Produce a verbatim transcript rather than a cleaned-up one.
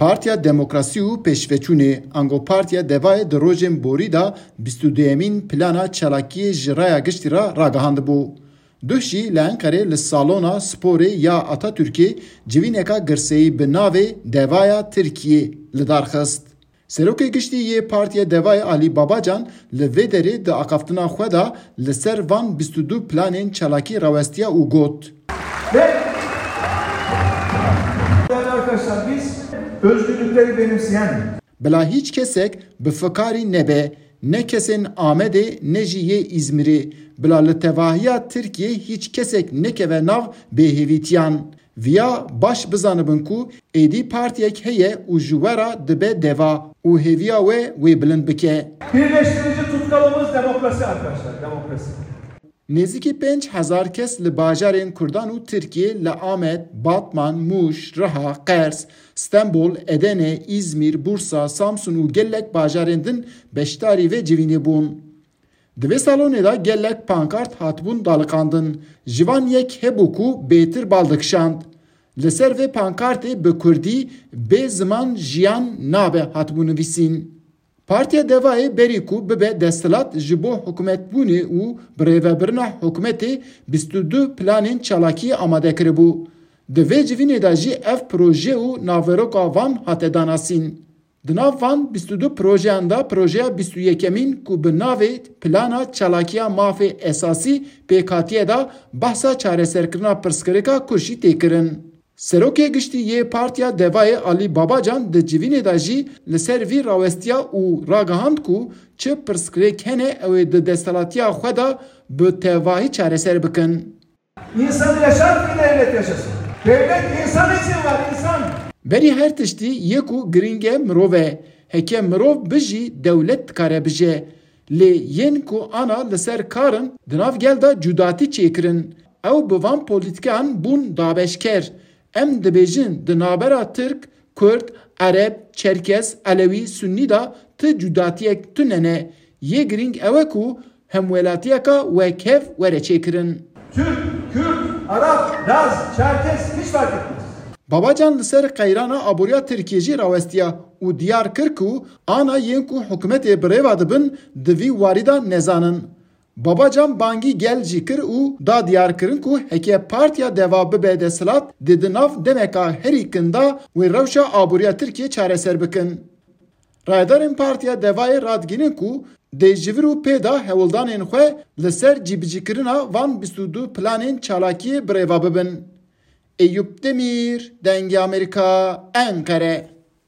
Partiya Demokrasî û Pêşveçûnê, ango Partiya Devayê di rojên borî de bîst û duyemîn plana çalakiyê ji raya giştî re ragihandibû. Duh jî li Enqerê li salona sporê ya Atatürkê civîneka girseyî bi navê Devaya Tirkiyê li dar xist. Serokê Giştî yê Partiya Devayê Alî Babacan li vê derê di axaftina xwe de li ser van bîst û du planên çalakî rawestiya û got: Ve değerli arkadaşlar, biz özgürlükleri benimseyen Bila hîç kesek bi fikarî nebe, ne kesên Amedê ne jî yê Îzmîrê. Bila li tevahiya Tirkiyê hîç kesek nekeve nav bêhêvîtiyan. Viya baş bizanibin ku êdî partiyek heye û ji we re dibe deva û hêviya we wê bilind bike. Birleştirici tutkalımız demokrasi arkadaşlar, demokrasi. Nêzîkî pênc hezar kes li bajarên Kurdan û Tirkiyê li Amed, Batman, Mûş, Riha, Qers, Stenbol, Edene, Îzmîr, Bursa, Samsun û gelek bajarên din beşdarî vê civînê bûn. Di vê salonê de gelek pankart hatibûn daliqandin. Ji van yek hebû ku bêtir bal dikişand. Li ser vê pankartê bi kurdî: "Bê ziman jiyan nabe" hatibû nivîsîn. Partiya Devayê berî ku bibe desthilat, ji bo hikûmetbûnê û birêvebirina hikûmetê bîst û du planên çalakiyê amade kiribû. Di vê civînê de jî ev proje û naveroka van hate danasîn. Di nav van bîst û du projeyan de projeya bîst û yekemîn ku bi navê Plana Çalakiya Mafê Esasî pêk hatiye de behsa çareserkirina pirsgirêka Kurşî tê kirin. Serokê Giştî yê Partiya Devayê Alî Babacan di civînê de jî li ser vî rawestiya û ragihand ku çi pirsgirêk hene ew ê di desthilatiya xwe de bi tevahî çareser bikin. İnsanı yaşat ki devlet yaşasın. Devlet insan için var, insan. Berî her tiştî yê ku girîng e mirov e. Heke mirov bijî, dewlet dikare bije. Lê yên ku ana li ser kar in, di nav gel de cudatî çêkirin. Ew bi van polîtîkayan bûn dabeşker. Em dibêjin di navbera Tirk, Kurd, Ereb, Çerkez, Elewî, Sunnî de ti cudatiyek tune ne. Yê girîng ew e ku hemwelatiyeka wekhev were çêkirin. Türk, Kürt, Arap, Laz, Çerkes hiç fark etmez. Babacan li ser qeyrana aboriya Tirkiyê jî rawestiya û diyar kir ku ana yên ku hikûmetê bi rê ve dibin di vî warî de nezanin. Babacan bangî gel jî kir û da diyarkirin ku heke Partiya Deva bibe desthilat, dê di nav demeka herî kin de wê rewşa aboriya Tirkiyê çareser bikin. Rayedarên Partiya Devayê radigihînin ku dê ji vir û pê de hewldanên xwe li ser cîbicîkirina van bîst û du planên çalakiyê bi rê ve bibin. Eyûp Demîr, Dengê Amerîka, Enqere.